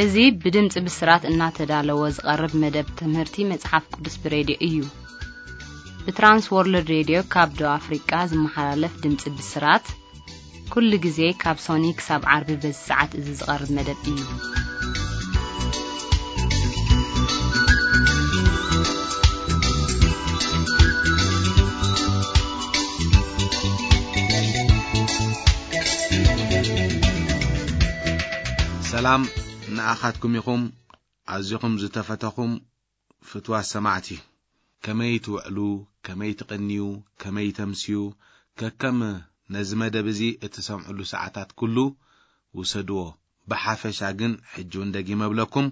እዚ ብድምፂ ብስራት እናተዳለወ ዝቐርብ መደብ ትምህርቲ መፅሓፍ ቅዱስ ብሬድዮ እዩ። ብትራንስ ወርልድ ሬድዮ ካብ ደቡብ ኣፍሪቃ ዝመሓላለፍ ድምፂ ብስራት፣ ኩሉ ግዜ ካብ ሶኒ ክሳብ ዓርቢ በዚ ሰዓት እዚ ዝቐርብ መደብ እዩ። ሰላም ንኣኻትኩም ይኹም፣ ኣዚኹም ዝተፈተኹም ፍትዋት ሰማዕቲ። ከመይ ትውዕሉ፣ ከመይ ትቕንዩ፣ ከመይ ተምስዩ፣ ከከም ነዚ መደብ እዚ እትሰምዕሉ ሰዓታት ኩሉ ውሰድዎ። ብሓፈሻ ግን ሕጂ እውን ደጊመ እብለኩም፣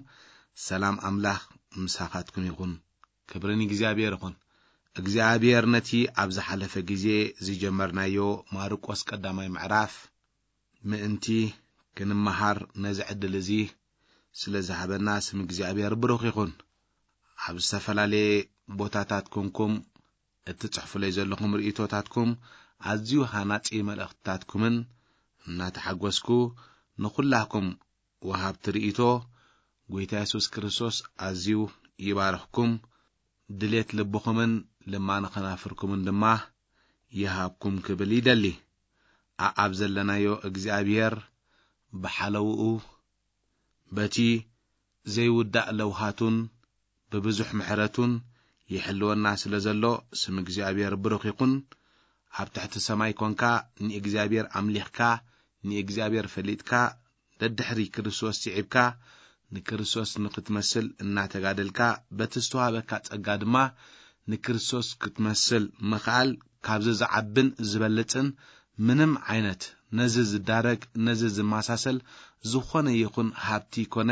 ሰላም ኣምላኽ ምሳኻትኩም ይኹን። ክብሪ ንእግዚኣብሔር ይኹን። እግዚኣብሔር ነቲ ኣብ ዝሓለፈ ግዜ ዝጀመርናዮ ማርቆስ ቀዳማይ ምዕራፍ ምእንቲ ክንመሃር ነዚ ዕድል እዚ ስለ ዝሃበና ስም እግዚኣብሔር ብሩኽ ይኹን። ኣብ ዝተፈላለየ ቦታታት ኮንኩም እትጽሕፉለይ ዘለኹም ርእይቶታትኩም ኣዝዩ ሃናጺ መልእኽትታትኩምን እናተሓጎስኩ ንኹላኩም ወሃብቲ ርእይቶ ጎይታ የሱስ ክርስቶስ ኣዝዩ ይባርኽኩም። ድሌት ልብኹምን ልማነ ኸናፍርኩምን ድማ ይሃብኩም ክብል ይደሊ። ኣኣብ ዘለናዮ እግዚኣብሔር ብሓለውኡ በቲ ዘይውዳእ ለውሃቱን ብብዙሕ ምሕረቱን ይሕልወና ስለ ዘሎ ስም እግዚኣብሔር ብሩኽ ይኹን። ኣብ ትሕቲ ሰማይ ኮንካ ንእግዚኣብሔር ኣምሊኽካ ንእግዚኣብሔር ፈሊጥካ ደድሕሪ ክርስቶስ ስዒብካ ንክርስቶስ ንክትመስል እናተጋደልካ በቲ ዝተዋህበካ ጸጋ ድማ ንክርስቶስ ክትመስል ምኽኣል ካብዚ ዝዓብን ዝበልጽን ምንም ዓይነት ነዚ ዝዳረግ ነዚ ዝመሳሰል ዝኾነ ይኹን ሃብቲ ኮነ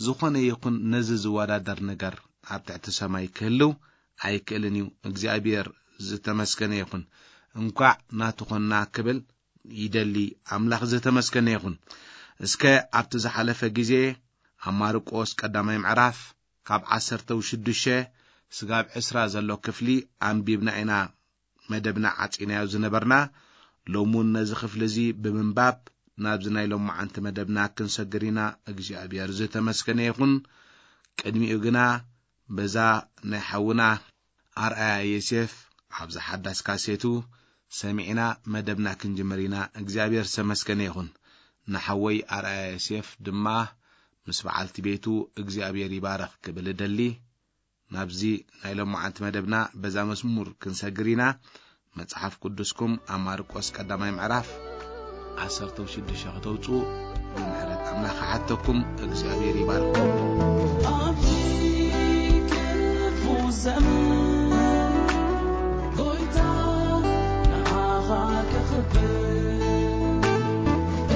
ዝኾነ ይኹን ነዚ ዝወዳደር ነገር ኣብ ትሕቲ ሰማይ ክህልው ኣይክእልን እዩ። እግዚኣብሔር ዝተመስገነ ይኹን። እንኳዕ ናቱ ኾንና ክብል ይደሊ። ኣምላኽ ዝተመስገነ ይኹን። እስከ ኣብቲ ዝሓለፈ ግዜ ኣብ ማርቆስ ቀዳማይ ምዕራፍ ካብ ዓሰርተ ሽዱሽተ ስጋብ ዕስራ ዘሎ ክፍሊ ኣንቢብና ኢና መደብና ዓጺናዮ ዝነበርና። ሎሚ እውን ነዚ ክፍሊ እዚ ብምንባብ ናብዚ ናይ ሎማዓንቲ መደብና ክንሰግር ኢና። እግዚኣብሔር ዝተመስገነ ይኹን። ቅድሚኡ ግና በዛ ናይ ሓውና ኣርኣያ ዮሴፍ ኣብዚ ሓዳስ ካሴቱ ሰሚዕና መደብና ክንጅምር ኢና። እግዚኣብሔር ዝተመስገነ ይኹን። ንሓወይ ኣርኣያ ዮሴፍ ድማ ምስ በዓልቲ ቤቱ እግዚኣብሔር ይባረኽ ክብል እደሊ። ናብዚ ናይ ሎማዓንቲ መደብና በዛ መዝሙር ክንሰግር ኢና። መጽሓፍ ቅዱስኩም ኣብ ማርቆስ ቀዳማይ ምዕራፍ ዓሰርተ ሽዱሽተ ከተውጽኡ ብምሕረት ኣምላኽ ክሓተኩም። እግዚኣብሔር ይባርኩም። ኣብዚ ክፉ ዘመን ጎይታ ንዓኻ ከኽብር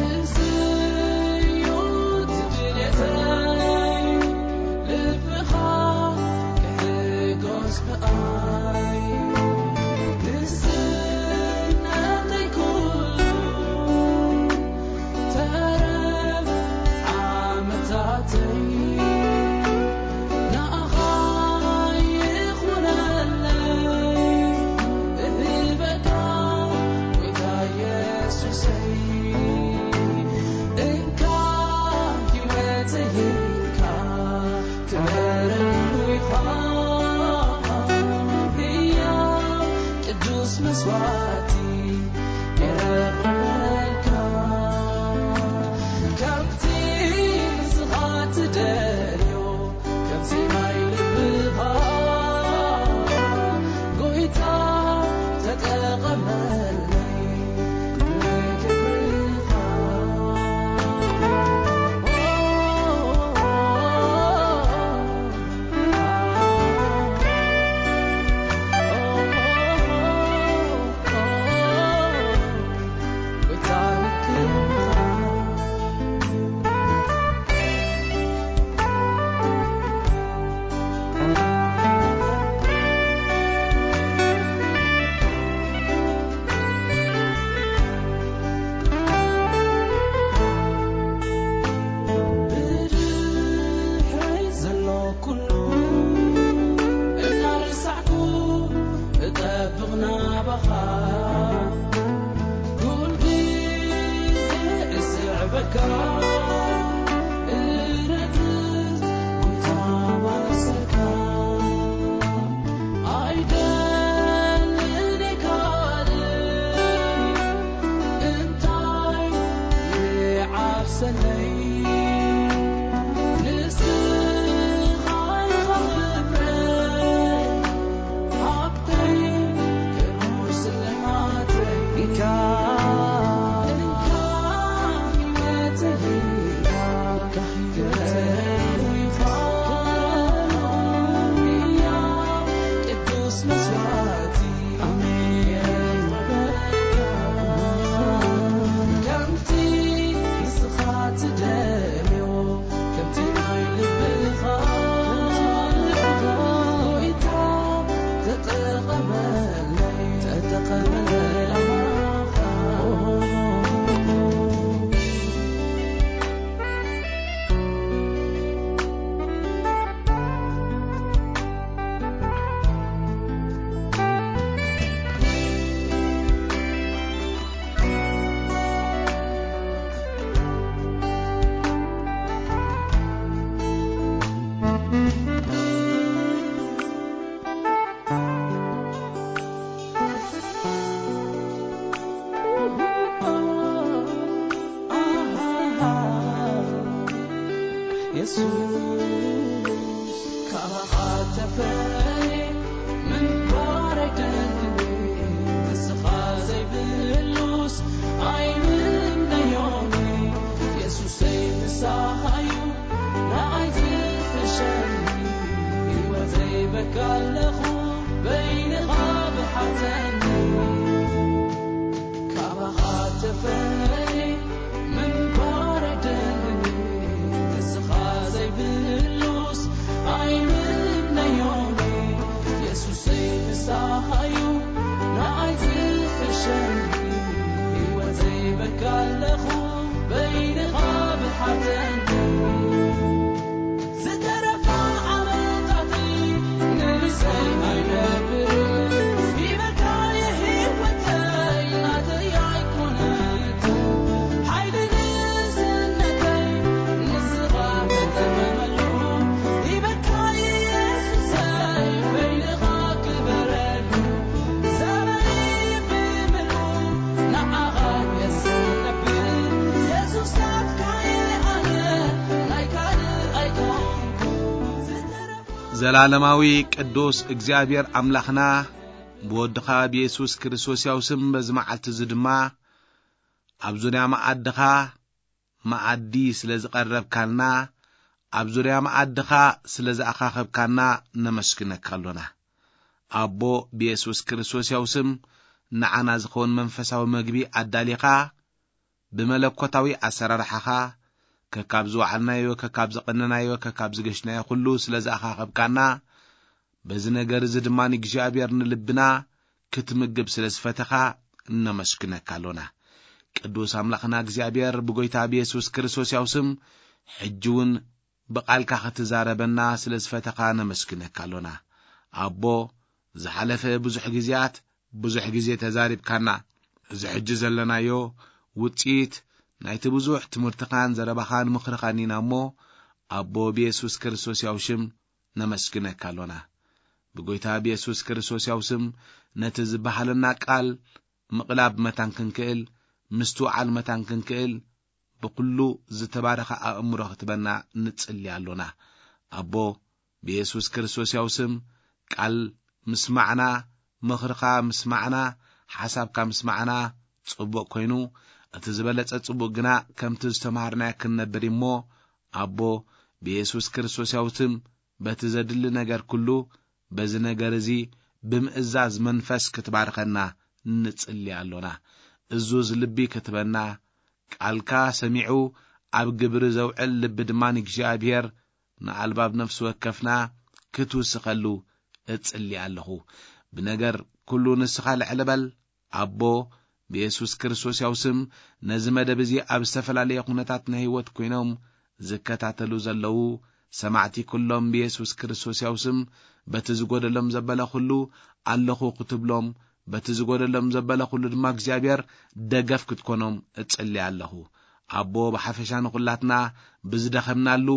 እዝዩ ድሌተይ ልብኻ ክሕጎስ ብኣይ ንስነተይ ኩሉ ተረፍ ዓመታተይ ንኣኻ ይኹነለይ እህበካ ጎይታ የሱሰይ እንካ ህይወተይ እንካ ክበረሉ ኢኻ ህያው ቅዱስ መስዋዕቲ የረብረልካ ካብቲ ንስኻ ትደልዮ ከምዚ ናይ ልብኻ ጎይታ ተጠቐመለይ የሱስ፣ ካባኻ ተፈልየ ምንባር ኣይደልን። ንስኻ ዘይብሉስ ኣይምነዮን። የሱሰይ ንስኻ እዩ ንዓይ ዝሕሸኒ። ህይወተይ በካ ኣለኹ በይንኻ ብሓተኒ። ካባኻ ተፈልየ ምንባር ኣይደልን። ንስኻ ዘይብሉስ ኣይምነዮን። የሱሰይ ንስኻ እዩ ንዓይ ዝሕሸኒ። ህይወተይ በካ ኣለኹ በይንኻ ብሓተኒ። ዝተረፋ ዓመታተይ ንርእሰይ ኣይነብርን። ሂበካ የህይወተይ ናተይ ኣይኮነትን። ሓይሊ ንእስነተይ ንስኻ ተጠመመሉ። ሂበካ የሱሰይ በይንኻ ክበረሉ። ዘመነይ ብምልኡ ንዓኻ የስነብር። የሱስ ናትካ እየ ኣነ ናይ ካልእ ኣይኮንኩ። ዘላለማዊ ቅዱስ እግዚኣብሔር ኣምላኽና፣ ብወድኻ ብየሱስ ክርስቶስ ያው ስም በዚ መዓልቲ እዚ ድማ ኣብ ዙርያ መኣድኻ መኣዲ ስለ ዝቐረብካልና፣ ኣብ ዙርያ መኣድኻ ስለ ዝኣኻኸብካና ነመስግነካ ኣሎና። ኣቦ፣ ብየሱስ ክርስቶስ ያው ስም ንዓና ዝኸውን መንፈሳዊ መግቢ ኣዳሊኻ፣ ብመለኮታዊ ኣሰራርሓኻ ከካብ ዝወዓልናዮ፣ ከካብ ዝቐነናዮ፣ ከካብ ዝገሽናዮ ኩሉ ስለ ዝኣኻኸብካና፣ በዚ ነገር እዚ ድማ ንእግዚኣብሔር ንልብና ክትምግብ ስለ ዝፈተኻ እነመስግነካ ኣሎና። ቅዱስ ኣምላኽና እግዚኣብሔር ብጎይታ ብየሱስ ክርስቶስ ያው ስም ሕጂ እውን ብቓልካ ክትዛረበና ስለ ዝፈተኻ ነመስግነካ ኣሎና። ኣቦ፣ ዝሓለፈ ብዙሕ ግዜያት ብዙሕ ግዜ ተዛሪብካና። እዚ ሕጂ ዘለናዮ ውጽኢት ናይቲ ብዙሕ ትምህርትኻን ዘረባኻን ምኽርኻን ኢና እሞ፣ ኣቦ ብየሱስ ክርስቶስ ያው ሽም ነመስግነካ ኣሎና። ብጎይታ ብየሱስ ክርስቶስ ያው ስም ነቲ ዝበሃለና ቃል ምቕላብ መታን ክንክእል፣ ምስትውዓል መታን ክንክእል፣ ብኩሉ ዝተባረኸ ኣእምሮ ክትበና ንጽሊ ኣሎና። ኣቦ ብየሱስ ክርስቶስ ያው ስም ቃል ምስማዕና፣ ምኽርኻ ምስማዕና፣ ሓሳብካ ምስማዕና ጽቡቕ ኮይኑ፣ እቲ ዝበለጸ ጽቡቕ ግና ከምቲ ዝተማሃርናዮ ክንነብር እሞ፣ ኣቦ ብየሱስ ክርስቶስ ያው ስም በቲ ዘድሊ ነገር ኩሉ፣ በዚ ነገር እዚ ብምእዛዝ መንፈስ ክትባርኸና ንጽሊ ኣሎና። እዙዝ ልቢ ክትበና፣ ቃልካ ሰሚዑ ኣብ ግብሪ ዘውዕል ልቢ ድማ ንእግዚኣብሔር ንኣልባብ ነፍሲ ወከፍና ክትውስኸሉ እጽሊ ኣለኹ። ብነገር ኩሉ ንስኻ ልዕሊ በል። ኣቦ፣ ብየሱስ ክርስቶስ ያው ስም ነዚ መደብ እዚ ኣብ ዝተፈላለየ ኩነታት ናይ ህይወት ኮይኖም ዝከታተሉ ዘለዉ ሰማዕቲ ኩሎም ብየሱስ ክርስቶስ ያው ስም በቲ ዝጎደሎም ዘበለ ኩሉ ኣለኹ ክትብሎም፣ በቲ ዝጎደሎም ዘበለ ኩሉ ድማ እግዚኣብሔር ደገፍ ክትኮኖም እጽሊ ኣለኹ። ኣቦ፣ ብሓፈሻ ንኹላትና ብዝደኸምናሉ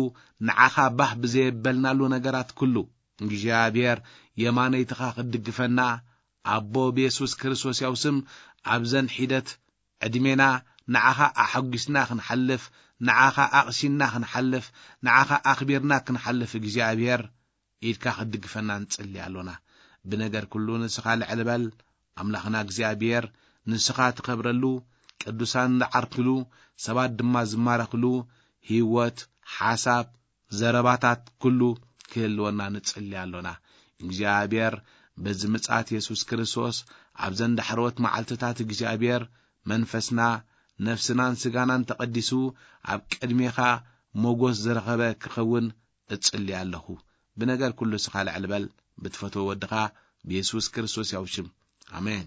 ንዓኻ ባህ ብዘየበልናሉ ነገራት ኩሉ እግዚኣብሔር የማነይትኻ ክትድግፈና ኣቦ ብየሱስ ክርስቶስ ያው ስም ኣብዘን ሒደት ዕድሜና ንዓኻ ኣሐጒስና ክንሓልፍ፣ ንዓኻ ኣቕሲንና ክንሓልፍ፣ ንዓኻ ኣኽቢርና ክንሓልፍ እግዚኣብሔር ኢድካ ክትድግፈና ንጽሊ ኣሎና። ብነገር ኩሉ ንስኻ ልዕሊ በል። ኣምላኽና እግዚኣብሔር ንስኻ ትኸብረሉ፣ ቅዱሳን ዝዓርክሉ፣ ሰባት ድማ ዝማረኽሉ ህይወት፣ ሓሳብ፣ ዘረባታት ኩሉ ክህልወና ንጽሊ ኣሎና። እግዚኣብሔር በዚ ምጽኣት የሱስ ክርስቶስ ኣብዘን ዳሕረዎት መዓልትታት እግዚኣብሔር መንፈስና፣ ነፍስናን ስጋናን ተቐዲሱ ኣብ ቅድሜኻ ሞጎስ ዝረኸበ ክኸውን እጽሊ ኣለኹ። ብነገር ኩሉ ስኻ ልዕሊ በል ብትፈትዎ ወድኻ ብየሱስ ክርስቶስ ያው ሽም። ኣሜን።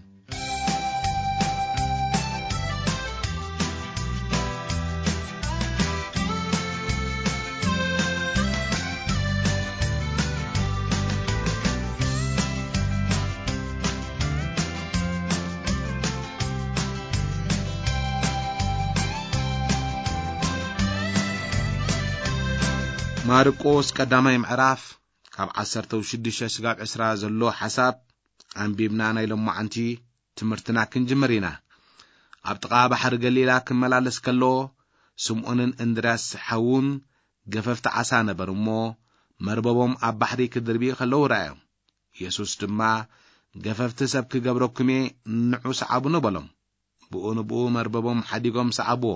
ማርቆስ ቀዳማይ ምዕራፍ ካብ ዓሰርተ ሽዱሽተ ስጋብ ዕስራ ዘሎ ሓሳብ ኣንቢብና ናይ ሎማዓንቲ ትምህርትና ክንጅምር ኢና። ኣብ ጥቓ ባሕሪ ገሊላ ክመላለስ ከሎ፣ ስምዖንን እንድርያስ ሓዉን ገፈፍቲ ዓሳ ነበሩ እሞ፣ መርበቦም ኣብ ባሕሪ ክድርቢ ከለዉ ረኣዮም። የሱስ ድማ፣ "ገፈፍቲ ሰብ ክገብረኩም እየ፣ ንዑ ሰዓቡኒ" በሎም። ብኡ ንብኡ መርበቦም ሓዲጎም ሰዓብዎ።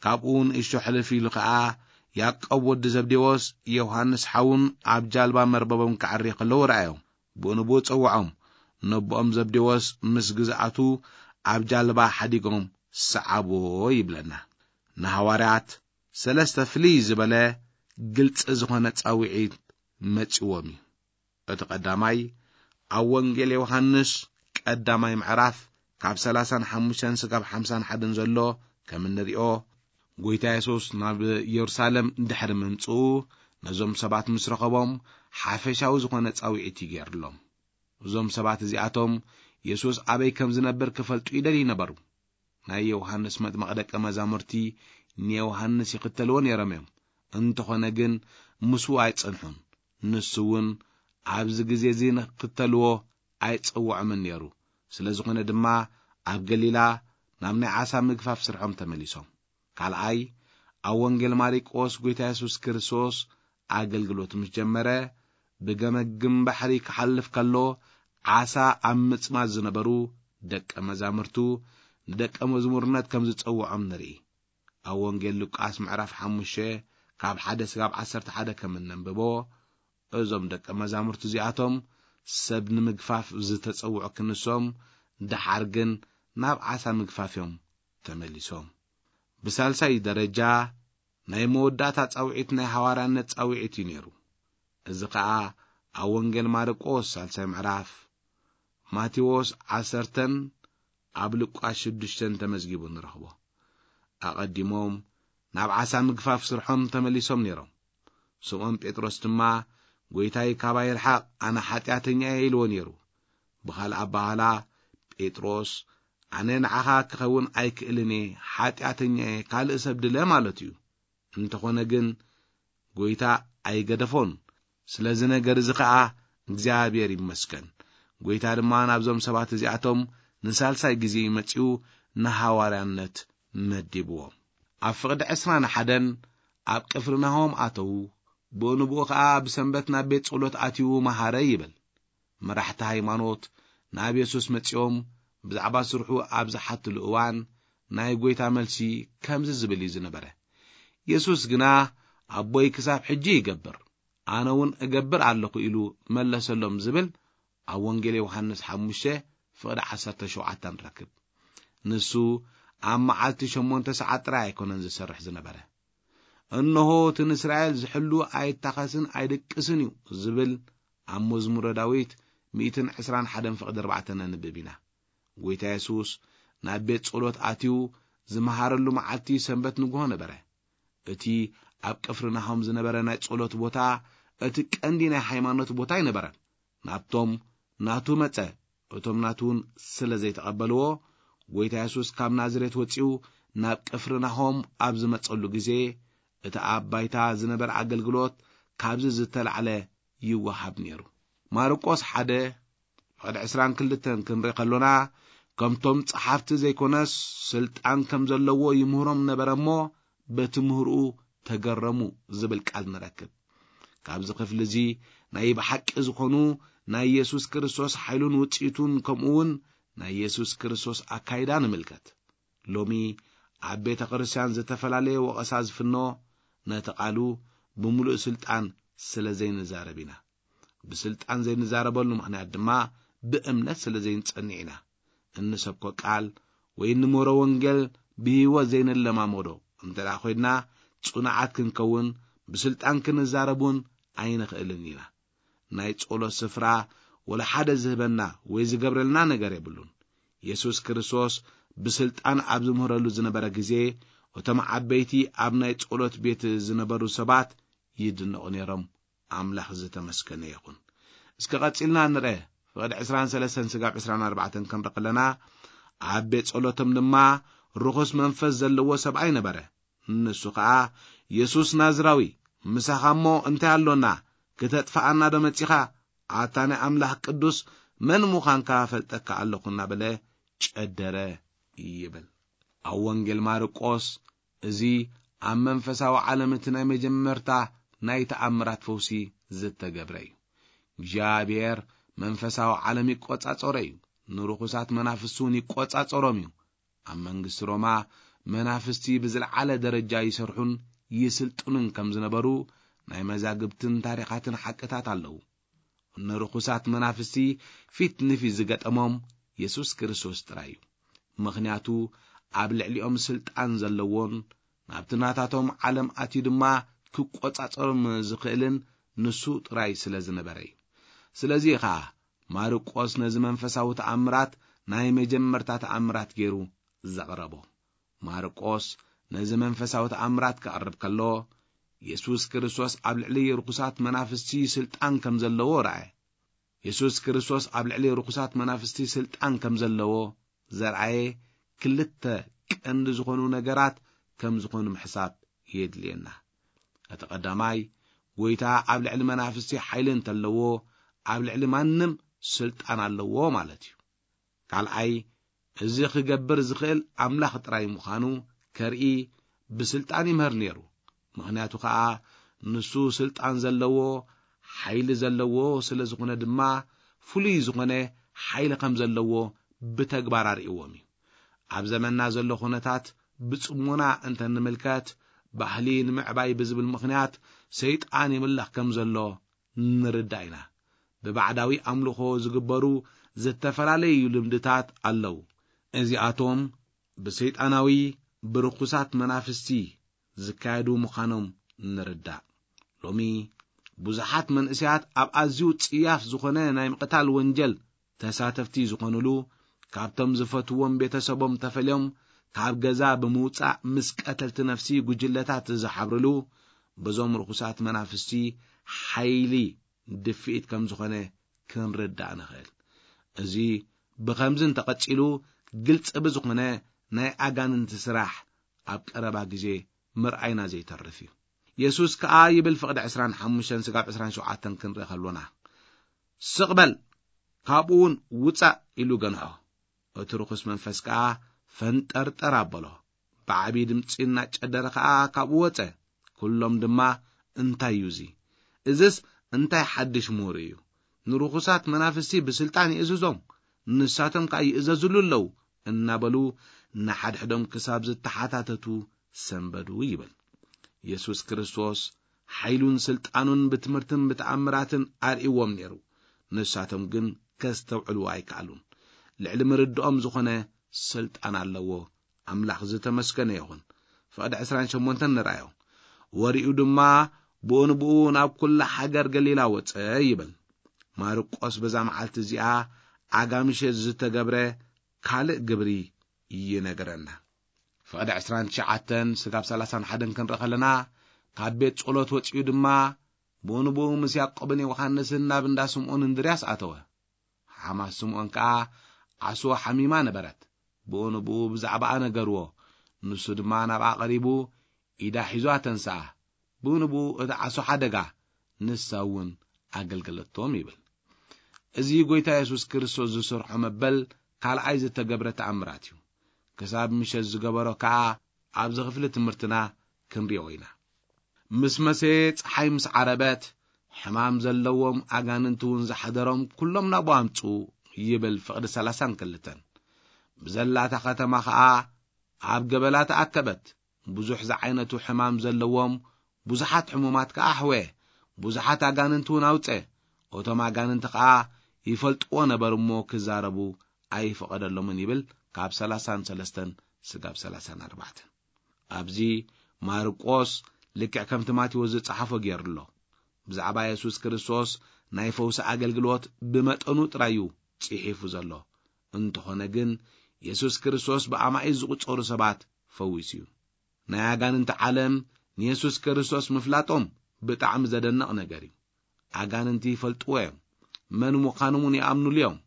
ካብኡ ንእሽቶ ሕልፍ ኢሉ ኸኣ፣ ያዕቆብ ወዲ ዘብዴዎስ፣ ዮሃንስ ሓዉን ኣብ ጃልባ መርበቦም ከዐሪ ከለዉ ረኣዮም። ብኡ ንብኡ ጸውዖም። ነቦኦም ዘብዴዎስ ምስ ግዝኣቱ ኣብ ጃልባ ሓዲጎም ሰዓብዎ ይብለና። ንሃዋርያት ሰለስተ ፍልይ ዝበለ ግልጺ ዝኾነ ጻውዒት መጺዎም እዩ። እቲ ቀዳማይ ኣብ ወንጌል ዮሃንስ ቀዳማይ ምዕራፍ ካብ ሰላሳን ሓሙሽተን ስጋብ ሓምሳን ሓደን ዘሎ ከም እንሪኦ፣ ጎይታ የሱስ ናብ የሩሳሌም ድሕሪ ምምጽኡ ነዞም ሰባት ምስ ረኸቦም ሓፈሻዊ ዝኾነ ጻውዒት እዩ ገይርሎም። እዞም ሰባት እዚኣቶም የሱስ ኣበይ ከም ዝነብር ክፈልጡ ይደልዩ ነበሩ። ናይ ዮሃንስ መጥምቕ ደቀ መዛሙርቲ ንዮሃንስ ይኽተልዎ ነይሮም እዮም። እንተኾነ ግን ምስኡ ኣይጸንሑን። ንሱ እውን ኣብዚ ግዜ እዚ ንክኽተልዎ ኣይጸውዖምን ነይሩ። ስለ ዝኾነ ድማ ኣብ ገሊላ ናብ ናይ ዓሳ ምግፋፍ ስርሖም ተመሊሶም። ካልኣይ፣ ኣብ ወንጌል ማርቆስ ጎይታ የሱስ ክርስቶስ ኣገልግሎት ምስ ጀመረ፣ ብገመግም ባሕሪ ክሓልፍ ከሎ፣ ዓሳ ኣብ ምጽማዝ ዝነበሩ ደቀ መዛሙርቱ ንደቀ መዝሙርነት ከም ዝጸውዖም ንርኢ። ኣብ ወንጌል ሉቃስ ምዕራፍ ሓሙሽተ ካብ ሓደ ስጋብ ዓሰርተ ሓደ ከም እነንብቦ፣ እዞም ደቀ መዛሙርቱ እዚኣቶም ሰብ ንምግፋፍ ዝተጸውዑ ክንሶም፣ ደሓር ግን ናብ ዓሳ ምግፋፍ እዮም ተመሊሶም። ብሳልሳይ ደረጃ፣ ናይ መወዳእታ ጻውዒት ናይ ሃዋርያነት ጻውዒት እዩ ነይሩ። እዚ ኸኣ ኣብ ወንጌል ማርቆስ ሳልሳይ ምዕራፍ፣ ማቴዎስ ዓሰርተን ኣብ ሉቃስ ሽዱሽተን ተመዝጊቡ ንረኽቦ። ኣቐዲሞም ናብ ዓሳ ምግፋፍ ስርሖም ተመሊሶም ነይሮም። ስምዖን ጴጥሮስ ድማ፣ "ጎይታይ፣ ካባይ ርሓቕ፣ ኣነ ሓጢኣተኛ እየ" ኢልዎ ነይሩ። ብኻልእ ኣበሃህላ፣ ጴጥሮስ፣ "ኣነ ንዓኻ ክኸውን ኣይክእልን እየ፣ ሓጢኣተኛ እየ፣ ካልእ ሰብ ድለ" ማለት እዩ። እንተኾነ ግን፣ ጎይታ ኣይገደፎን። ስለዚ ነገር እዚ ኸኣ እግዚኣብሔር ይመስገን። ጎይታ ድማ ናብዞም ሰባት እዚኣቶም ንሳልሳይ ግዜ መጺኡ ንሃዋርያነት መዲብዎም። ኣብ ፍቕዲ ዕስራን ሓደን ኣብ ቅፍርናሆም ኣተዉ። ብኡ ንብኡ ኸኣ ብሰንበት ናብ ቤት ጸሎት ኣትዩ መሃረ ይብል። መራሕቲ ሃይማኖት ናብ የሱስ መጺኦም ብዛዕባ ስርሑ ኣብ ዝሓትሉ እዋን፣ ናይ ጐይታ መልሲ ከምዚ ዝብል እዩ ዝነበረ። የሱስ ግና፣ "ኣቦይ ክሳብ ሕጂ ይገብር፣ ኣነ እውን እገብር ኣለኹ" ኢሉ መለሰሎም ዝብል ኣብ ወንጌል ዮሃንስ ሓሙሽተ ፍቕዲ ዓሰርተ ሸውዓተ ንረክብ። ንሱ ኣብ መዓልቲ ሸሞንተ ሰዓት ጥራይ ኣይኮነን ዝሰርሕ ዝነበረ። "እንሆ እቲ ንእስራኤል ዝሕሉ ኣይታኸስን ኣይድቅስን እዩ" ዝብል ኣብ መዝሙረ ዳዊት ሚእትን ዕስራን ሓደን ፍቕዲ ኣርባዕተ ነንብብ ኢና። ጎይታ የሱስ ናብ ቤት ጸሎት ኣትዩ ዝመሃረሉ መዓልቲ ሰንበት ንግሆ ነበረ። እቲ ኣብ ቅፍርናሆም ዝነበረ ናይ ጸሎት ቦታ እቲ ቀንዲ ናይ ሃይማኖት ቦታ ኣይነበረን። ናብቶም ናቱ መጸ፣ እቶም ናቱ እውን ስለ ዘይተቐበልዎ፣ ጎይታ የሱስ ካብ ናዝሬት ወጺኡ ናብ ቅፍርናሆም ኣብ ዝመጸሉ ግዜ፣ እቲ ኣብ ባይታ ዝነበረ ኣገልግሎት ካብዚ ዝተላዕለ ይወሃብ ነይሩ። ማርቆስ ሓደ ፍቕዲ ዕስራን ክልተን ክንርኢ ከሎና፣ ከምቶም ጸሓፍቲ ዘይኮነስ፣ ስልጣን ከም ዘለዎ ይምህሮም ነበረ እሞ፣ በቲ ምህርኡ ተገረሙ ዝብል ቃል ንረክብ። ካብዚ ክፍሊ እዚ ናይ ብሓቂ ዝኾኑ ናይ የሱስ ክርስቶስ ሓይሉን ውጽኢቱን፣ ከምኡ እውን ናይ የሱስ ክርስቶስ ኣካይዳ ንምልከት። ሎሚ ኣብ ቤተ ክርስቲያን ዝተፈላለየ ወቐሳ ዝፍኖ፣ ነቲ ቃሉ ብምሉእ ስልጣን ስለ ዘይንዛረብ ኢና። ብስልጣን ዘይንዛረበሉ ምኽንያት ድማ ብእምነት ስለ ዘይንጸንዕ ኢና። እንሰብኮ ቃል ወይ እንምህሮ ወንጌል ብህይወት ዘይንለማመዶ እንተ ደኣ ኮይንና፣ ጽኑዓት ክንከውን ብስልጣን ክንዛረብ እውን ኣይንኽእልን ኢና። ናይ ጸሎት ስፍራ ወላ ሓደ ዝህበና ወይ ዝገብረልና ነገር የብሉን። የሱስ ክርስቶስ ብስልጣን ኣብ ዝምህረሉ ዝነበረ ግዜ፣ እቶም ዓበይቲ ኣብ ናይ ጸሎት ቤት ዝነበሩ ሰባት ይድነቑ ነይሮም። ኣምላኽ ዝተመስገነ ይኹን። እስከ ቀጺልና ንርአ። ፍቕዲ ዕስራን ሰለስተን ስጋብ ዕስራን ኣርባዕተን ክንርኢ ከለና፣ ኣብ ቤት ጸሎቶም ድማ ርኹስ መንፈስ ዘለዎ ሰብኣይ ነበረ። ንሱ ኸኣ፣ "የሱስ ናዝራዊ፣ ምሳኻ እሞ እንታይ ኣሎና? ክተጥፍኣና ዶ መጺኻ? ኣታ ናይ ኣምላኽ ቅዱስ መን ምዃንካ እፈልጠካ ኣለኹ" እናበለ ጨደረ ይብል። ኣብ ወንጌል ማርቆስ እዚ ኣብ መንፈሳዊ ዓለም እቲ ናይ መጀመርታ ናይ ተኣምራት ፈውሲ ዝተገብረ እዩ። እግዚኣብሔር መንፈሳዊ ዓለም ይቆጻጸሮ እዩ። ንርኹሳት መናፍስቲ እውን ይቆጻጸሮም እዩ። ኣብ መንግስቲ ሮማ መናፍስቲ ብዝለዓለ ደረጃ ይሰርሑን ይስልጥኑን ከም ዝነበሩ ናይ መዛግብትን ታሪኻትን ሓቅታት ኣለዉ። ንርኹሳት መናፍስቲ ፊት ንፊት ዝገጠሞም የሱስ ክርስቶስ ጥራይ እዩ። ምኽንያቱ ኣብ ልዕሊኦም ስልጣን ዘለዎን ናብቲ ናታቶም ዓለም ኣትዩ ድማ ክቆጻጸሮም ዝኽእልን ንሱ ጥራይ ስለ ዝነበረ እዩ። ስለዚ ኸኣ ማርቆስ ነዚ መንፈሳዊ ተኣምራት ናይ መጀመርታ ተኣምራት ገይሩ ዘቕረቦ። ማርቆስ ነዚ መንፈሳዊ ተኣምራት ከቕርብ ከሎ፣ የሱስ ክርስቶስ ኣብ ልዕሊ ርኹሳት መናፍስቲ ስልጣን ከም ዘለዎ ረኣየ። የሱስ ክርስቶስ ኣብ ልዕሊ ርኹሳት መናፍስቲ ስልጣን ከም ዘለዎ ዘርኣየ ክልተ ቀንዲ ዝኾኑ ነገራት ከም ዝኾኑ ምሕሳብ የድልየና። እቲ ቀዳማይ፣ ጎይታ ኣብ ልዕሊ መናፍስቲ ሓይሊ እንተለዎ፣ ኣብ ልዕሊ ማንም ስልጣን ኣለዎ ማለት እዩ። ካልኣይ፣ እዚ ክገብር ዝኽእል ኣምላኽ ጥራይ ምዃኑ ከርኢ ብስልጣን ይምህር ነይሩ። ምኽንያቱ ኸኣ ንሱ ስልጣን ዘለዎ፣ ሓይሊ ዘለዎ ስለ ዝኾነ ድማ፣ ፍሉይ ዝኾነ ሓይሊ ከም ዘለዎ ብተግባር ኣርእይዎም እዩ። ኣብ ዘመንና ዘሎ ኩነታት ብጽሞና እንተ ንምልከት፣ ባህሊ ንምዕባይ ብዝብል ምኽንያት ሰይጣን ይምለኽ ከም ዘሎ ንርዳእ ኢና። ብባዕዳዊ ኣምልኾ ዝግበሩ ዝተፈላለዩ ልምድታት ኣለዉ። እዚኣቶም ብሰይጣናዊ ብርኹሳት መናፍስቲ ዝካየዱ ምዃኖም ንርዳእ። ሎሚ ብዙሓት መንእሰያት ኣብ ኣዝዩ ጽያፍ ዝኾነ ናይ ምቕታል ወንጀል ተሳተፍቲ ዝኾኑሉ፣ ካብቶም ዝፈትዎም ቤተሰቦም ተፈልዮም ካብ ገዛ ብምውጻእ ምስ ቀተልቲ ነፍሲ ጉጅለታት ዝሓብርሉ፣ በዞም ርኹሳት መናፍስቲ ሓይሊ ድፍኢት ከም ዝኾነ ክንርዳእ ንኽእል። እዚ ብኸምዚ እንተቐጺሉ፣ ግልጺ ብዝኾነ ናይ ኣጋንንቲ ስራሕ ኣብ ቀረባ ግዜ ምርኣይና ዘይተርፍ እዩ። የሱስ ከኣ ይብል፣ ፍቕዲ ዕስራን ሓሙሽተን ስጋብ ዕስራን ሸውዓተን ክንርኢ ከሎና፣ "ስቕ በል፣ ካብኡ እውን ውጻእ" ኢሉ ገንሖ። እቲ ርኹስ መንፈስ ከኣ ፈንጠርጠር ኣበሎ። ብዓቢ ድምጺ እናጨደረ ከኣ ካብኡ ወጸ። ኩሎም ድማ፣ "እንታይ እዩ እዚ? እዝስ እንታይ ሓድሽ ምሁር እዩ? ንርኹሳት መናፍስቲ ብስልጣን ይእዝዞም፣ ንሳቶም ከኣ ይእዘዙሉ ኣለዉ" እናበሉ ንሓድሕዶም ክሳብ ዝተሓታተቱ ሰንበዱ ይብል። የሱስ ክርስቶስ ሓይሉን ስልጣኑን ብትምህርትን ብተኣምራትን ኣርእይዎም ነይሩ። ንሳቶም ግን ከስተውዕልዎ ኣይከኣሉን። ልዕሊ ምርድኦም ዝኾነ ስልጣን ኣለዎ። ኣምላኽ ዝተመስገነ ይኹን። ፍቕዲ ዕስራን ሸሞንተን ንርኣዮ። ወሪኡ ድማ ብኡ ንብኡ ናብ ኩላ ሃገር ገሊላ ወጸ ይብል። ማርቆስ በዛ መዓልቲ እዚኣ ኣጋምሸ ዝተገብረ ካልእ ግብሪ ይነግረና። ፍቕዲ ዕስራን ትሽዓተን ስጋብ ሰላሳን ሓደን ክንርኢ ከለና፣ ካብ ቤት ጸሎት ወጺኡ ድማ ብኡ ንብኡ ምስ ያዕቆብን ዮሃንስን ናብ እንዳ ስምዖን እንድርያስ ኣተወ። ሓማት ስምዖን ከኣ ዓሶ ሓሚማ ነበረት። ብኡ ንብኡ ብዛዕባኣ ነገርዎ። ንሱ ድማ ናብኣ ቀሪቡ ኢዳ ሒዙ ኣተንስኣ። ብኡ ንብኡ እቲ ዓሶ ሓደጋ፣ ንሳ እውን ኣገልገለቶም ይብል። እዚ ጐይታ የሱስ ክርስቶስ ዝሰርሖ መበል ካልኣይ ዝተገብረ ተኣምራት እዩ። ክሳብ ምሸት ዝገበሮ ከኣ ኣብዚ ክፍሊ ትምህርትና ክንሪኦ ኢና። ምስ መሰየ ጸሓይ ምስ ዓረበት፣ ሕማም ዘለዎም ኣጋንንቲ እውን ዝሓደሮም ኩሎም ናብኡ ኣምጽኡ ይብል ፍቕዲ ሰላሳን ክልተን። ብዘላታ ከተማ ኸኣ ኣብ ገበላ ተኣከበት። ብዙሕ ዝዓይነቱ ሕማም ዘለዎም ብዙሓት ሕሙማት ከኣ ኣሕወየ። ብዙሓት ኣጋንንቲ እውን ኣውጸ። እቶም ኣጋንንቲ ኸኣ ይፈልጥዎ ነበር እሞ ክዛረቡ ኣይፈቐደሎምን ይብል ካብ ሰላሳን ሰለስተን ስጋብ ሰላሳን ኣርባዕተን። ኣብዚ ማርቆስ ልክዕ ከምቲ ማቴዎስ ዝጸሓፎ ገይሩ ኣሎ። ብዛዕባ የሱስ ክርስቶስ ናይ ፈውሲ ኣገልግሎት ብመጠኑ ጥራይ እዩ ጽሒፉ ዘሎ። እንተኾነ ግን የሱስ ክርስቶስ ብኣማኢት ዝቑጸሩ ሰባት ፈዊሱ እዩ። ናይ ኣጋንንቲ ዓለም ንየሱስ ክርስቶስ ምፍላጦም ብጣዕሚ ዘደንቕ ነገር እዩ። ኣጋንንቲ ይፈልጥዎ እዮም፣ መን ምዃኖም እውን ይኣምኑሉ እዮም።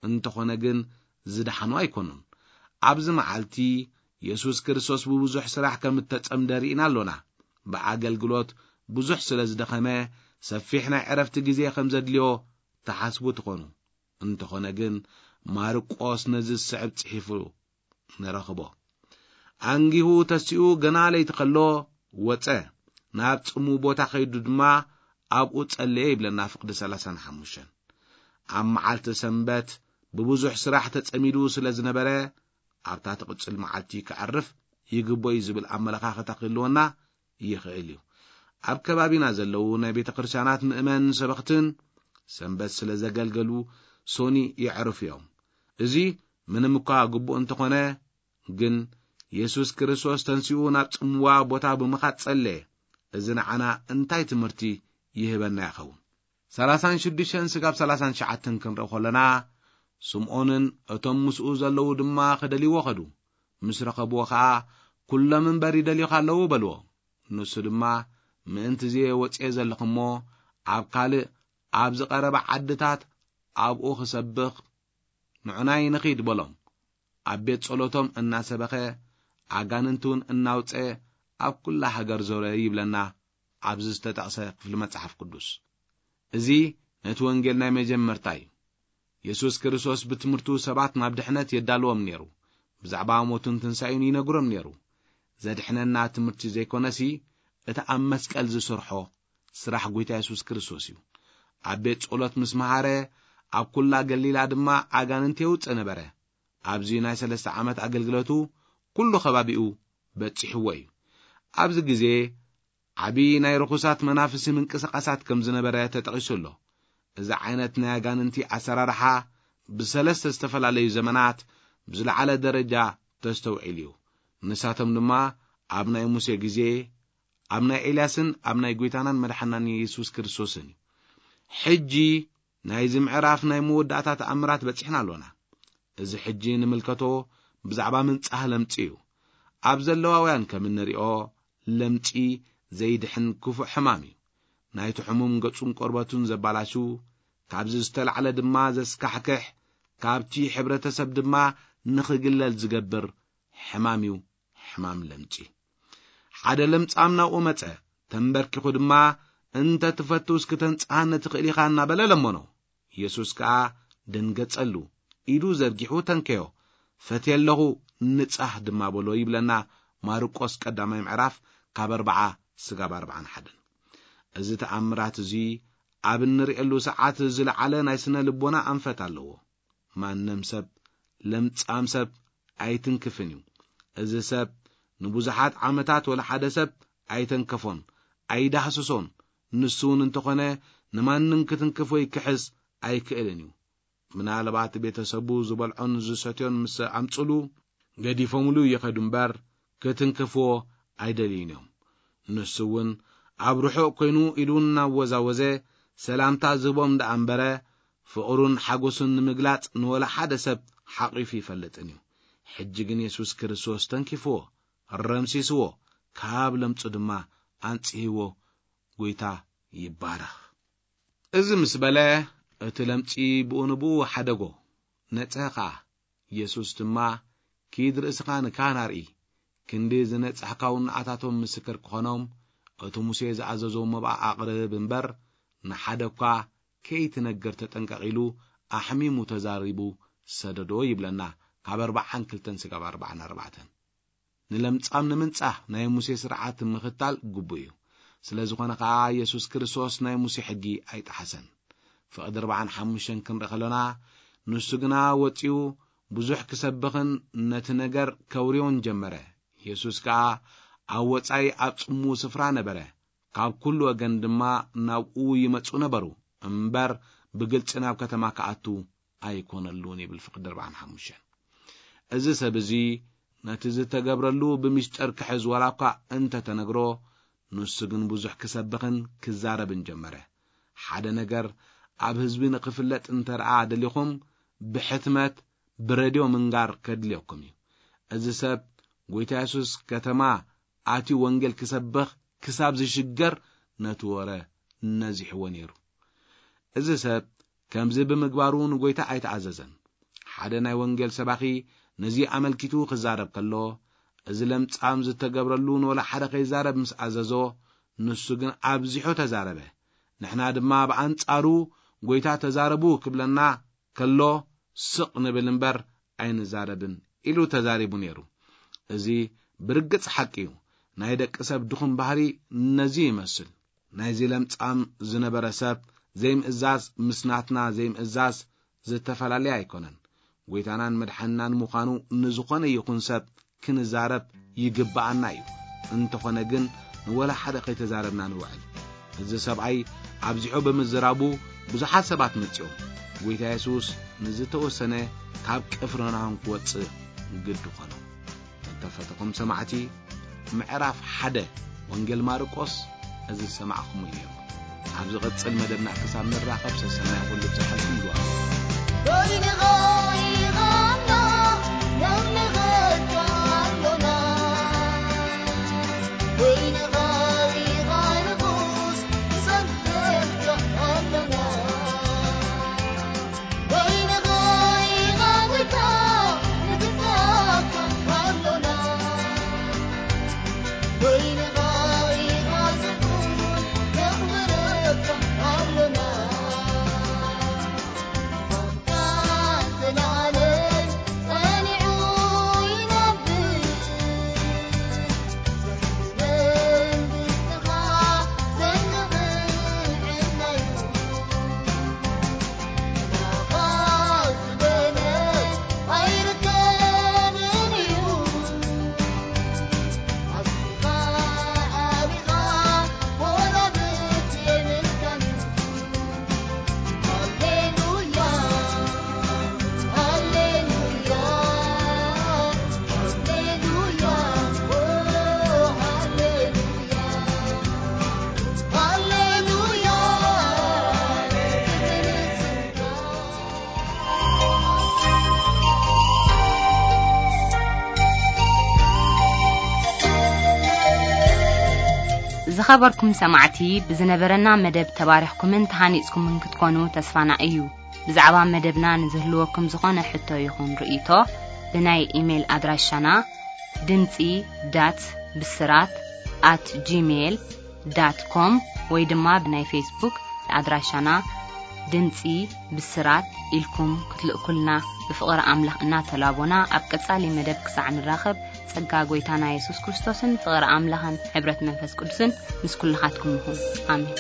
እንተኾነ ግን ዝደሓኑ ኣይኮኑን። ኣብዚ መዓልቲ የሱስ ክርስቶስ ብብዙሕ ስራሕ ከም እተጸምደ ርኢና ኣሎና። ብኣገልግሎት ብዙሕ ስለ ዝደኸመ ሰፊሕ ናይ ዕረፍቲ ግዜ ከም ዘድልዮ ትሓስቡ ትኾኑ። እንተኾነ ግን ማርቆስ ነዚ ዝስዕብ ጽሒፉ ንረኽቦ። ኣንጊሁ ተሲኡ ገና ለይቲ ከሎ ወጸ፣ ናብ ጽሙ ቦታ ከይዱ ድማ ኣብኡ ጸለየ ይብለና ፍቕዲ ሰላሳን ሓሙሽተን። ኣብ መዓልቲ ሰንበት ብብዙሕ ስራሕ ተጸሚዱ ስለ ዝነበረ፣ ኣብታ ትቕጽል መዓልቲ ከዕርፍ ይግቦ እዩ ዝብል ኣመለኻኽታ ክህልወና ይኽእል እዩ። ኣብ ከባቢና ዘለዉ ናይ ቤተ ክርስቲያናት ምእመን ሰበኽትን ሰንበት ስለ ዘገልገሉ ሶኒ የዕርፉ እዮም። እዚ ምንም እኳ ግቡእ እንተኾነ፣ ግን የሱስ ክርስቶስ ተንሲኡ ናብ ጽምዋ ቦታ ብምኻድ ጸለየ። እዚ ንዓና እንታይ ትምህርቲ ይህበና ይኸውን? ሰላሳን ሽዱሽተን ስጋብ ሰላሳን ትሽዓተን ክንርኢ ከለና፣ ስምዖንን እቶም ምስኡ ዘለዉ ድማ ክደልይዎ ኸዱ። ምስ ረኸብዎ ኸኣ፣ "ኩሎም እምበር ይደልዩኻ ኣለዉ" በልዎ። ንሱ ድማ፣ "ምእንቲ እዚ ወጽየ ዘለኹ እሞ፣ ኣብ ካልእ ኣብ ዝቐረበ ዓድታት ኣብኡ ክሰብኽ ንዑናይ ንኺድ" በሎም። ኣብ ቤት ጸሎቶም እናሰበኸ፣ ኣጋንንቲ እውን እናውጸ ኣብ ኩላ ሃገር ዞረ ይብለና ኣብዚ ዝተጠቕሰ ክፍሊ መጽሓፍ ቅዱስ። እዚ ነቲ ወንጌል ናይ መጀመርታ እዩ። የሱስ ክርስቶስ ብትምህርቱ ሰባት ናብ ድሕነት የዳልዎም ነይሩ። ብዛዕባ ሞቱን ትንሳኤኡን ይነግሮም ነይሩ። ዘድሕነና ትምህርቲ ዘይኮነሲ፣ እቲ ኣብ መስቀል ዝሰርሖ ስራሕ ጐይታ የሱስ ክርስቶስ እዩ። ኣብ ቤት ጸሎት ምስ መሃረ፣ ኣብ ኩላ ገሊላ ድማ ኣጋንንቲ የውጽእ ነበረ። ኣብዚ ናይ ሰለስተ ዓመት ኣገልግሎቱ ኩሉ ከባቢኡ በጺሕዎ እዩ። ኣብዚ ግዜ ዓቢ ናይ ርኹሳት መናፍስቲ ምንቅስቓሳት ከም ዝነበረ ተጠቒሱ ኣሎ። እዚ ዓይነት ናይ ኣጋንንቲ ኣሰራርሓ ብሰለስተ ዝተፈላለዩ ዘመናት ብዝለዓለ ደረጃ ተስተውዒሉ እዩ። ንሳቶም ድማ ኣብ ናይ ሙሴ ግዜ፣ ኣብ ናይ ኤልያስን ኣብ ናይ ጐይታናን መድሓናን የሱስ ክርስቶስን እዩ። ሕጂ ናይዚ ምዕራፍ ናይ መወዳእታ ተኣምራት በጺሕና ኣሎና። እዚ ሕጂ ንምልከቶ ብዛዕባ ምንጻህ ለምጺ እዩ። ኣብ ዘለዋውያን ከም እንሪኦ፣ ለምጺ ዘይድሕን ክፉእ ሕማም እዩ። ናይቲ ሕሙም ገጹን ቆርበቱን ዘባላሹ፣ ካብዚ ዝተላዕለ ድማ ዘስካሕክሕ፣ ካብቲ ሕብረተሰብ ድማ ንኽግለል ዝገብር ሕማም እዩ፣ ሕማም ለምጺ። ሓደ ለምጻም ናብኡ መጸ፣ ተንበርኪኹ ድማ፣ "እንተ ትፈቱ እስኪ ተንጽሃኒ ትኽእል ኢኻ" እናበለ ለመኖ። የሱስ ከኣ ደንገጸሉ፣ ኢዱ ዘርጊሑ ተንከዮ፣ "ፈትየ ኣለኹ፣ ንጻህ ድማ" በሎ ይብለና ማርቆስ ቀዳማይ ምዕራፍ ካብ ኣርብዓ ስጋብ ኣርብዓን ሓደን። እዚ ተኣምራት እዚ ኣብ እንርእየሉ ሰዓት ዝለዓለ ናይ ስነ ልቦና ኣንፈት ኣለዎ። ማንም ሰብ፣ ለምጻም ሰብ ኣይትንክፍን እዩ። እዚ ሰብ ንብዙሓት ዓመታት ወላ ሓደ ሰብ ኣይተንከፎን፣ ኣይዳህስሶን። ንሱ እውን እንተኾነ ንማንም ክትንክፍ ወይ ክሕዝ ኣይክእልን እዩ። ምናልባት ቤተሰቡ ዝበልዖን ዝሰትዮን ምስ ኣምጽሉ ገዲፎምሉ ይኸዱ እምበር ክትንክፍዎ ኣይደልዩን እዮም። ንሱ እውን ኣብ ርሑቕ ኮይኑ ኢዱ እናወዛወዘ ሰላምታ ዝህቦም ደኣ እምበረ ፍቕሩን ሓጎሱን ንምግላጽ ንወላ ሓደ ሰብ ሓቒፉ ይፈልጥን እዩ። ሕጂ ግን የሱስ ክርስቶስ ተንኪፍዎ፣ ረምሲስዎ፣ ካብ ለምጹ ድማ ኣንጽህዎ። ጐይታ ይባረኽ። እዚ ምስ በለ እቲ ለምጺ ብኡ ንብኡ ሓደጎ፣ ነጽሀ ኸኣ። የሱስ ድማ፣ "ኪድ ርእስኻ ንካህን ኣርኢ፣ ክንዲ ዝነጻሕካ እውን ንኣታቶም ምስክር ክኾኖም፣ እቲ ሙሴ ዝኣዘዞ መባእ ኣቕርብ እምበር፣ ንሓደ እኳ ከይትነግር ተጠንቀቕ" ኢሉ ኣሕሚሙ ተዛሪቡ ሰደዶ ይብለና ካብ ኣርብዓን ክልተን ስጋብ ኣርብዓን ኣርባዕተን። ንለምጻም ንምንጻህ ናይ ሙሴ ስርዓት ምኽታል ግቡእ እዩ። ስለ ዝኾነ ኸኣ የሱስ ክርስቶስ ናይ ሙሴ ሕጊ ኣይጠሓሰን። ፍቕዲ ኣርብዓን ሓሙሽተን ክንርኢ ከሎና፣ ንሱ ግና ወጺኡ ብዙሕ ክሰብኽን ነቲ ነገር ከውርዮን ጀመረ። የሱስ ከኣ ኣብ ወጻኢ ኣብ ጽምው ስፍራ ነበረ። ካብ ኩሉ ወገን ድማ ናብኡ ይመጹ ነበሩ፣ እምበር ብግልጺ ናብ ከተማ ክኣቱ ኣይኮነሉን ይብል ፍቕዲ ኣርብዓን ሓሙሽተን። እዚ ሰብ እዚ ነቲ ዝተገብረሉ ብምስጢር ክሕዝ ዋላ እኳ እንተ ተነግሮ፣ ንሱ ግን ብዙሕ ክሰብኽን ክዛረብን ጀመረ። ሓደ ነገር ኣብ ህዝቢ ንኽፍለጥ እንተ ደኣ ደሊኹም፣ ብሕትመት ብሬድዮ ምንጋር ከድልየኩም እዩ። እዚ ሰብ ጐይታ የሱስ ከተማ ኣትዩ ወንጌል ክሰብኽ ክሳብ ዝሽገር ነቲ ወረ ነዚሕዎ ነይሩ። እዚ ሰብ ከምዚ ብምግባሩ ንጐይታ ኣይተኣዘዘን። ሓደ ናይ ወንጌል ሰባኺ ነዚ ኣመልኪቱ ክዛረብ ከሎ፣ እዚ ለምጻም ዝተገብረሉ ንወላ ሓደ ከይዛረብ ምስ ኣዘዞ፣ ንሱ ግን ኣብዚሑ ተዛረበ። ንሕና ድማ ብኣንጻሩ ጐይታ ተዛረቡ ክብለና ከሎ ስቕ ንብል እምበር ኣይንዛረብን ኢሉ ተዛሪቡ ነይሩ። እዚ ብርግጽ ሓቂ እዩ። ናይ ደቂ ሰብ ድኹም ባህሪ ነዚ ይመስል። ናይዚ ለምጻም ዝነበረ ሰብ ዘይምእዛዝ ምስ ናትና ዘይምእዛዝ ዝተፈላለየ ኣይኮነን። ጎይታናን መድሓንናን ምዃኑ ንዝኾነ ይኹን ሰብ ክንዛረብ ይግብኣና እዩ። እንተኾነ ግን ንወላ ሓደ ከይተዛረብና ንውዕል። እዚ ሰብኣይ ኣብዚሑ ብምዝራቡ ብዙሓት ሰባት መጺኦም። ጎይታ የሱስ ንዝተወሰነ ካብ ቅፍርናሆም ክወጽእ ግዲ ኾኖ። እተፈተኹም ሰማዕቲ፣ ምዕራፍ ሓደ ወንጌል ማርቆስ እዚ ዝሰማዕኹም እዩ ነይሩ። ኣብ ዝቕጽል መደብና ክሳብ ንራኸብ ሰሰናይ ኩሉ ብዝሓልኩም ይዋሉ። ዝኸበርኩም ሰማዕቲ፣ ብዝነበረና መደብ ተባሪኽኩምን ተሃኒጽኩምን ክትኮኑ ተስፋና እዩ። ብዛዕባ መደብና ንዝህልወኩም ዝኾነ ሕቶ ይኹን ርእይቶ፣ ብናይ ኢሜይል ኣድራሻና ድምጺ ዳት ብስራት ኣት ጂሜይል ዳት ኮም ወይ ድማ ብናይ ፌስቡክ ኣድራሻና ድምጺ ብስራት ኢልኩም ክትልእኩልና ብፍቕሪ ኣምላኽ እናተላቦና፣ ኣብ ቀጻሊ መደብ ክሳዕ ንራኸብ፣ ጸጋ ጎይታና የሱስ ክርስቶስን ፍቕሪ ኣምላኽን ሕብረት መንፈስ ቅዱስን ምስ ኩልኻትኩም ይኹን። ኣሜን።